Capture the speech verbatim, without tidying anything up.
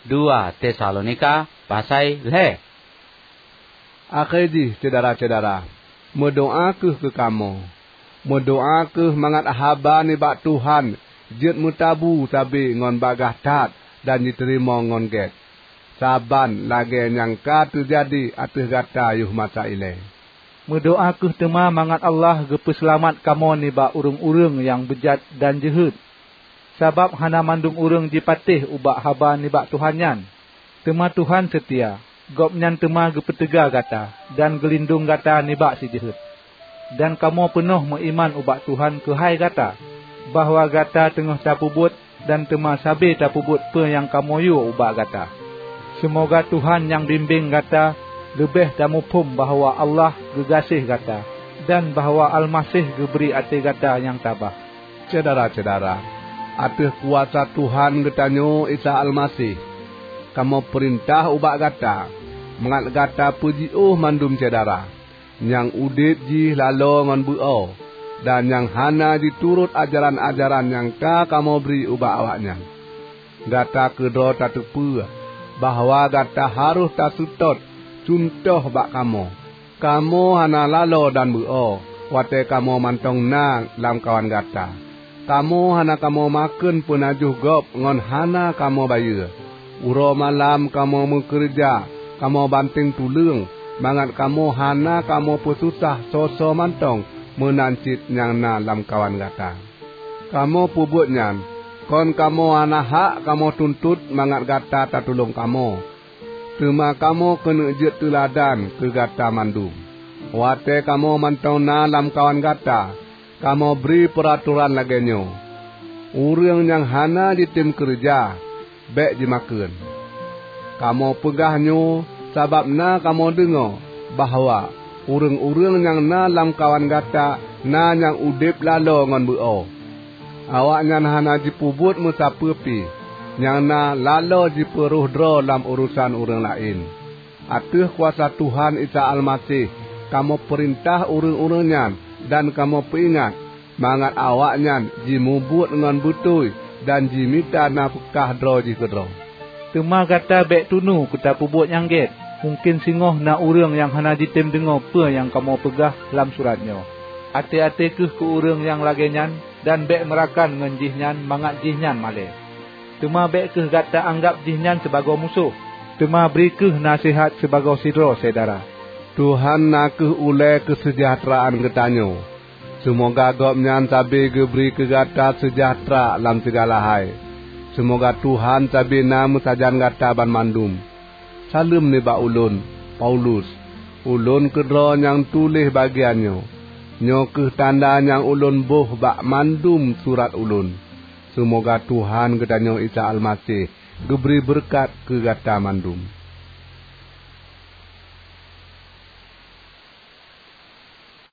Dua Tesalonika pasai lhée. Akhé jih, syedara-syedara, meudoá kheueh keu kamoe. Meudoá kheueh mangat haba nibak Tuhan jeuet meutabu sabe ngon bagaih that dan jiteurimong ngon gét, saban lagée nyang ka teujadi ateueh gata yoh masa ilée. Meudoá kheueh teuma mangat Allah geupeuseulamat kamoe nibak ureuëng-ureuëng nyang beujat dan jeuhet. Sabab hana mandum ureuëng jipatéh ubak haba nibak Tuhan nyan. Teuma Tuhan seutia, Gobnyan teuma geupeuteuga gata dan geulindong gata nibak si jeuhet. Dan kamoe peunoh meuiman ubak Tuhan keuhai gata, bahwa gata teungoh tapeubuet dan teuma sabe tapeubuet peue nyang kamoe yue ubak gata. Seumoga Tuhan nyang bimbeng gata leubeh tamuphom bahwa Allah geugaséh gata dan bahwa Almaseh geubri até gata nyang tabah. Syedara-syedara, ateueh kuasa Tuhan geutanyoe Isa Almaseh, kamoe peurintah ubak gata, mangat gata peujiôh mandum syedara, nyang udeb jih laloe ngon beuo, dan nyang hana jiturot ajaran-ajaran nyang ka kamoe bri ubak awaknyan. Gata keudroe tateupeue bahwa gata harôh taseutôt cuntoh bak kamoe. Kamoe hana laloe dan beuo watée kamoe mantong na lamkawan gata. Kamoe hana kamoe makheun peunajoh gob ngon hana kamoe bayeue. Uroe malam kamoe meukeureuja, kamoe banténg tuleueng, mangat kamoe hana kamoe peususah soe-soe mantong meunan cit nyang na lamkawan gata. Kamoe peubuet nyan kon kamoe hana hak kamoe tuntot mangat gata tatulông kamoe, teuma kamoe keuneuk jeuet teuladan keu gata mandum. Watée kamoe mantong na lamkawan gata, kamoe bri peuratoran lagée nyoe, "Ureuëng nyang hana jitem keureuja, bék jimakheun." Kamoe peugah nyoe sabab na kamoe deungoe bahwa ureuëng-ureuëng nyang na lamkawan gata na nyang udeb laloe ngon beuo. Awaknyan hana jipeubuet meusapeue pih nyang na laloe jipeuroh droe lam urosan ureuëng laén. Ateueh kuasa Tuhan Isa Almaseh kamoe peurintah ureuëng-ureuëng nyan dan kamoe peuingat, mangat awaknyan jimubuet ngon beutôi dan jimita nafeukah droe jih keudroe. Teuma gata bék tunu keu tapeubuet nyang gét. Mungken singoh na ureuëng nyang hana jitem deungoe peue nyang kamoe peugah lam surat nyoe. Até-até kheueh keu ureuëng nyang lagée nyan, dan bék meurakan ngon jihnyan mangat jihnyan malée. Teuma bék kheueh gata anggab jihnyan sibagoe musoh, teuma bri kheueh naseuhat sibagoe sidroe syedara. Tuhan na kheueh ulée keuseujahteraan geutanyoe. Seumoga Gobnyan sabe geubri keu gata seujahteura lam sigala hai. Seumoga Tuhan sabe na meusajan gata banmandum. Saleuem nibak ulôn, Paulus, ulôn keudroe nyang tuléh bagian nyoe. Nyoe kheueh tanda nyang ulôn boh bak mandum surat ulôn. Seumoga Tuhan geutanyoe Isa Almaseh geubri beureukat keu gata mandum.